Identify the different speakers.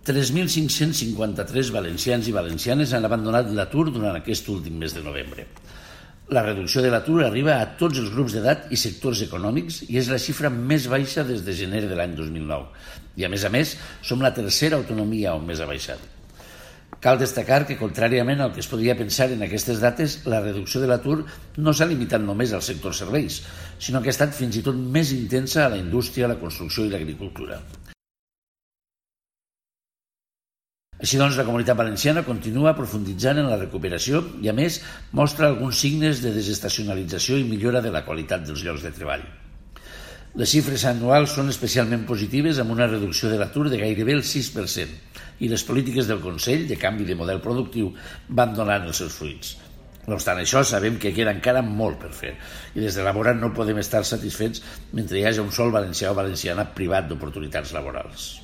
Speaker 1: 3.553 valencians i valencianes han abandonat l'atur durant aquest últim mes de novembre. La reducció de l'atur arriba a tots els grups d'edat i sectors econòmics i és la xifra més baixa des de gener de l'any 2009. I a més, som la tercera autonomia on més ha baixat. Cal destacar que, contràriament al que es podria pensar en aquestes dates, la reducció de l'atur no s'ha limitat només al sector serveis, sinó que ha estat fins i tot més intensa a la indústria, la construcció i l'agricultura. Així doncs, la Comunitat Valenciana continua profunditzant en la recuperació i, a més, mostra alguns signes de desestacionalització i millora de la qualitat dels llocs de treball. Les xifres anuals són especialment positives amb una reducció de l'atur de gairebé el 6% i les polítiques del Consell de canvi de model productiu van donant els seus fruits. No obstant això, sabem que queda encara molt per fer i des de la vora no podem estar satisfets mentre hi hagi un sol valencià o valenciana privat d'oportunitats laborals.